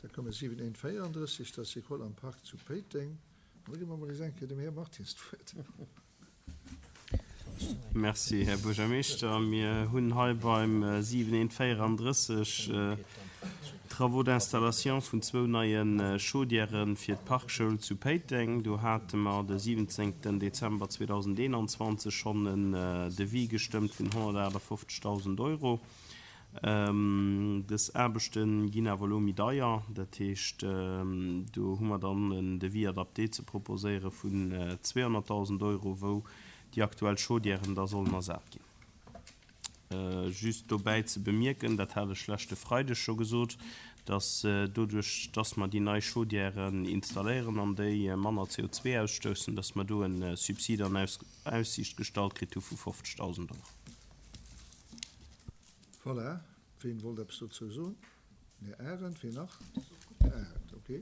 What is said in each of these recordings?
Da komme 7134, dat ass d'École am Parc zu Péiteng. An da gi mer emol nees eng Kéier dem Här Martins d'Wuert. Merci, Här Buergermeeschter. Mir hunn hei beim 7134 Travaux d'installation vun zwou neie Chaudièrë fir d'Parkschoul zu Péiteng. Do hate mer de 17 Dezember 2021 schonn en Devis gestëmmt vun 158.000 Euro. Dës Aarbechte ginn awer elo méi deier. Dat heescht, do hu mer dann en Devis adapté ze proposéiere vun 200.000 Euro, wou déi aktuell Chaudièren da sollen ersat ginn. Just dobäi ze bemierken, dat hat ech leschte Freideg scho gesot, dass doduerch, dass mer déi nei Chaudièren installéieren an déi manner CO2 ausstoussen, dass mer do e Subsid an Aussiicht gestallt kritt hu vu 50.000 Euro. Voilà, ween wollt eppes dozou soen? Den Här Arendt, ween nach? Här Arendt, ok.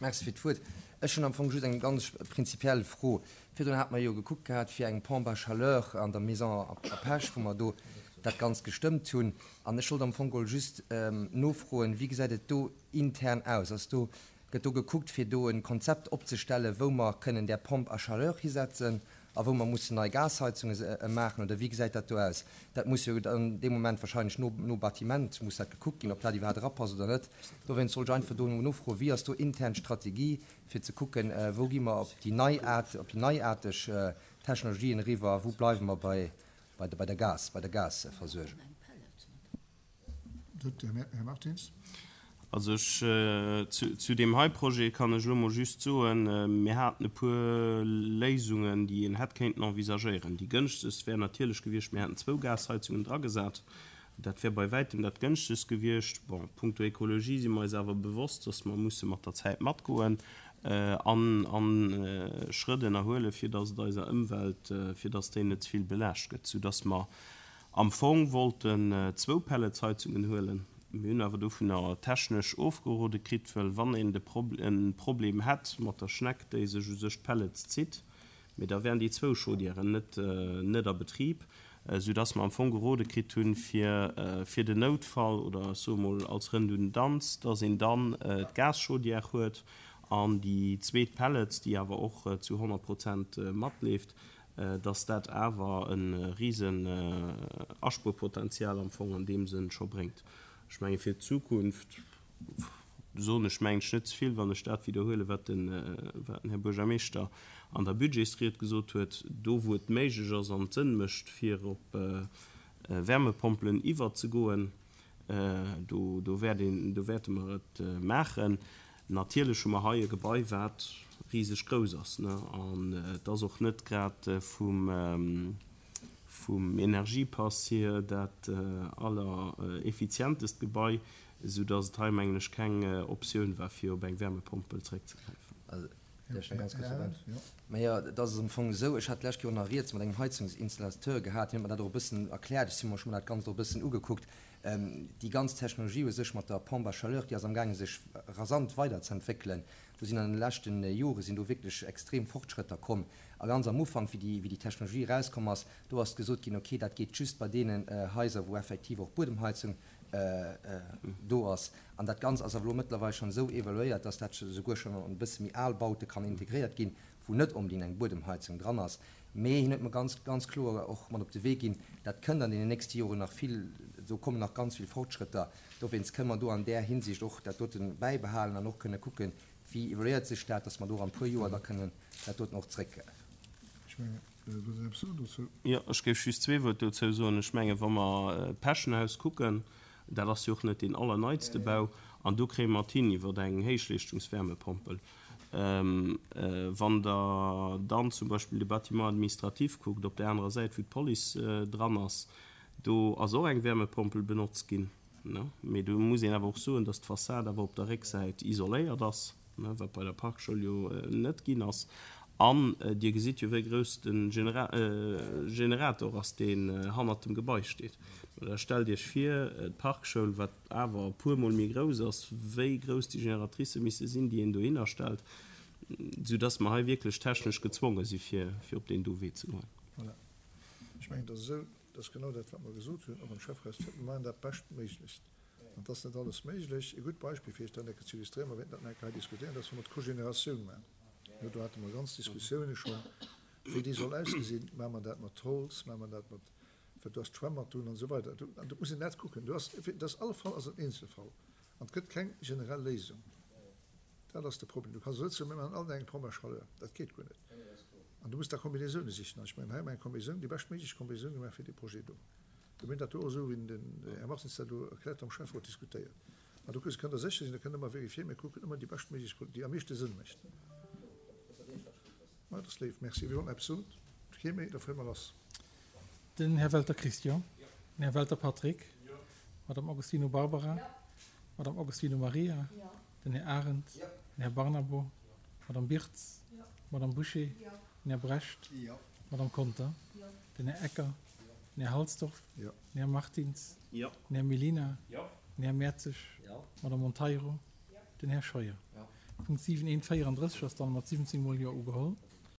Merci fir d'Wuert. Ech hunn am Fong just eng ganz prinzipiell Fro. Virdrun hate mer jo gekuckt gehat fir eng Pompe à chaleur an der Maison à Pech, wou mer do dat Ganzt gestëmmt hunn. An ech wollt am Fong geholl just nofroen, Wéi gesäit et do intern aus? Ass do, gëtt do gekuckt, fir do e Konzept opzestellen, wou mer kënnen där Pompe à chaleur hisetzen A wou mer mussen nei Gasheizunge maachen, oder wéi gesäit dat do aus? Dat muss jo dann dee Moment wahrscheinlech no no Bâtiment muss dat gekuckt ginn, ob dat iwwerhaapt erapasst oder net. Dowéinst wollt ech einfach do nofroen, Wéi ass do intern d'Strategie, fir ze kucken, wou gi mer op déi nei Aart, op déi neiaarteg Technologien eriwwer a wou bleiwe mer bei bei der Gas, bei der Gasversuergung? Här Martins. Also ech, zu deem hei Projet kann ech elo mol just soen, mir haten e puer Léisungen, déi een hätt kéinten envisagéieren. Déi gënschtegst wär natierlech gewiescht, mir hätten zwou Gasheizungen dragesat. Dat wär bei wäitem dat gënschtegst gewiescht. Bon, punkto Ekologie si mer eis awer bewosst, dass mer musse mat der Zäit matgoen an a Schrëtt ënnerhuelen, fir dass et eiser Ëmwelt, fir dass déi net ze vill belaascht gëtt, soudass mer Am Fong wollten zwou Pelletsheizungen huelen, mir hunn awer dovunner technesch ofgerode kritt, well wann een de en Problem hätt mat der Schneck, déi sech u sech d'Pellets zitt, mee da wären déi zwou Chaudièren net net a Betrib, soudass mer am Fong gerode kritt hunn, fir fir den Noutfall oder ech soe mol als Redundanz, dass een dann d'Gaschaudière huet an déi zweet Pellets, déi awer och zu 100 Prozent matleeft, dass dat awer e risen Aspuerpotenzial am Fong an deem Sënn scho bréngt. Ech menge fir d'Zukunft soen ech mengen ech net ze vill, wann ech dat widderhuelen, wat den Här Buergermeeschter an der Budgetsried gesot huet, Do wou et méiglech ass an et Sënn mécht fir op Wärmepompelen iwwerzegoen, do do wäert een, do wäerte mer et maachen. Natierlech hu mer hei e Gebai, wat riseg grouss ass, ne, an et ass och net grad vum, vum Energiepass hier dat allereffizientest Gebai, esou dass et hei, mengen ech, keng Optioun war, fir op eng Wärmepompel zréckzegräifen. Majo, et ass am Fong esou, ech hat d'lescht Joer nach rieds mat engem Heizungsinstallateur gehat, hien huet mer dat och e bëssen erkläert, ech hu mer dat Ganzt och e bëssen ugekuckt. Déi ganz Technologie u sech mat der Pompe à chaleur, déi ass amgaange sech rasant weiderzeentwéckelen. Do sinn an de leschte Jore sinn do wierklech extrem Fortschrëtter komm. A ganz am Ufank, wéi déi, wéi déi Technologie erauskomm ass, do ass gesot ginn, okay, dat geet just bei deenen Haiser, wou effektiv och Buedemheizung do ass. An dat Ganzt ass awer elo mëttlerweil schonn esou evaluéiert, dass dat souguer schonn an e bësse méi al Baute kann integréiert ginn, wou net onbedéngt eng Buedemheizung dran ass. Mee hien huet mer ganz, ganz kloer och mat op de Wee ginn, dat kënnt an deenen nächste Joren nach vill, do kommen nach ganz vill Fortschrëtter. Dowéinst kënne mer do an där Hinsicht och dat dote bäibehalen an och kënne kucken, wéi evoluéiert sech dat, dass mer do an e puer Joer da kënnen dat doten och zréck. Ech mengen, wëllt Der eppes soen dozou? Jo, ech géif just zwee Wuert dozou soen. Ech mengen, wa mer d'Peschenhaus kucken, dat ass jo och net deen allerneitste Bau, an do kréie mer et hin iwwer eng Héichleeschtungswärmepompel. Wann Der dann zum Beispill de Bâtiment administratif kuckt, op där anerer Säit, wou d'Police dran ass, do ass och eng Wärmepompel benotzt ginn. Mee do muss een awer och soen, dass d'Fassad awer op der Récksäit isoléiert ass, wat bei der Parkschoul jo net ginn ass. An Dir gesitt jo, wéi grouss de Generator ass, deen hannert dem Gebai steet. Da stellt Iech vir, d'Parkschoul, wat awer e puer Mol méi grouss ass, wéi grouss déi Génératricë misse sinn, déi een dohinner stellt, soudass mer hei wierklech technesch gezwonge si fir op deen do Wee ze goen. Voilà. Ech mengen, et ass esou, dat ass genau dat, wat mer gesot hunn, och am Schäfferot, mir maachen dat Beschtméiglechst. An et ass net alles méiglech. E gutt Beispill, fir Iech dat eng Kéier ze illustréieren, mer wäerten dat nach eng Kéier hei diskutéieren, dat ass, wa mer d'Cogénératioun maachen. Jo, do hate mer ganz Diskussiounen schonn, wéi déi soll ausgesinn. Maache mer dat mat Holz, maache mer dat mat, well do ass d'Schwämm mat drun an esou weider. An do muss een dat kucken. Do ass, dat ass, alle Fall ass et en Eenzelfall an et gëtt keng generell Léisung. Dat ass de Problem. Du kanns net soen, mir maachen all eng Pompe à chaleur. Dat geet guer net. An du muss da Kombinaisoune sichen. An ech mengen, hei hu mer eng Kombinaisoun, déi beschtméiglech Kombinaisoun gemaach fir dee Projet do. Mir hunn dat do och esou, wéi den Här Martins dat elo erkläert huet, am Schäfferot diskutéiert. An do kënnt Der sécher sinn, da kënnt Der ëmmer vérifier, mir kucken ëmmer déi beschtméiglech, déi am meeschte Sënn mécht. Ma dat ass léif. Merci. Wie wollt nach eppes soen? Kee méi? Da fuere mer lass. Den Här Welter Christian. Den Här Welter Patrick. D'Madame Agostino Barbara. D'Madame Agostino Maria. Den Här Arendt. Den Här Barnabo. D'Madame Birtz. D'Madame Bouché. Den Här Brecht. D'Madame Conter. Den Här Ecker. Den Här Halsdorf. Den Här Martins. Den Här Mellina. Den Här Mertzig. D'Madame Monteiro. Den Här Scheuer. Punkt 7 1 34 ass dann mat 17 mol Jo ugeholl.